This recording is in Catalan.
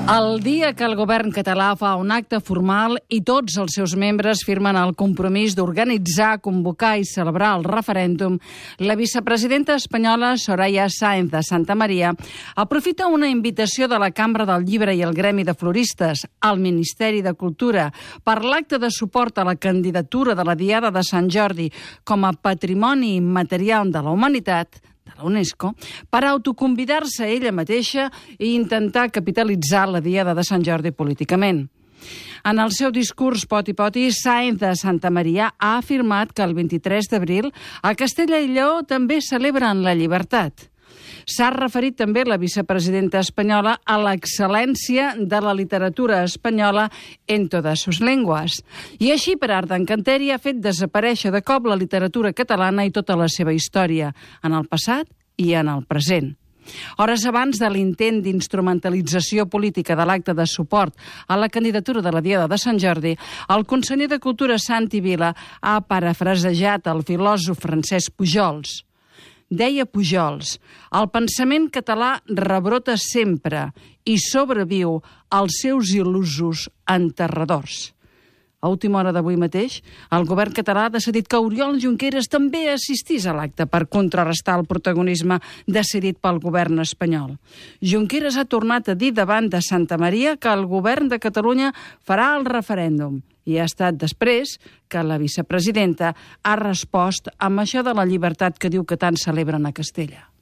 El dia que el govern català fa un acte formal i tots els seus membres firmen el compromís d'organitzar, convocar i celebrar el referèndum, la vicepresidenta espanyola Soraya Sáenz de Santamaría aprofita una invitació de la Cambra del Llibre i el Gremi de Floristes al Ministeri de Cultura per l'acte de suport a la candidatura de la Diada de Sant Jordi com a Patrimoni Immaterial de la Humanitat de la UNESCO, per autoconvidar-se ella mateixa i intentar capitalitzar la Diada de Sant Jordi políticament. En el seu discurs poti-poti, Sáenz de Santamaría ha afirmat que el 23 d'abril a Castella i Lleó també celebren la llibertat. S'ha referit també la vicepresidenta espanyola a l'excel·lència de la literatura espanyola en totes sus lenguas. I així, per art d'encanteri, ha fet desaparèixer de cop la literatura catalana i tota la seva història, en el passat i en el present. Hores abans de l'intent d'instrumentalització política de l'acte de suport a la candidatura de la Diada de Sant Jordi, el conseller de Cultura Santi Vila ha parafrasejat el filòsof Francesc Pujols. Deia Pujols, el pensament català rebrota sempre i sobreviu als seus il·lusos enterradors. A última hora d'avui mateix, el govern català ha decidit que Oriol Junqueras també assistís a l'acte per contrarrestar el protagonisme decidit pel govern espanyol. Junqueras ha tornat a dir davant de Santamaría que el govern de Catalunya farà el referèndum i ha estat després que la vicepresidenta ha respost amb això de la llibertat que diu que tant celebren a Castella.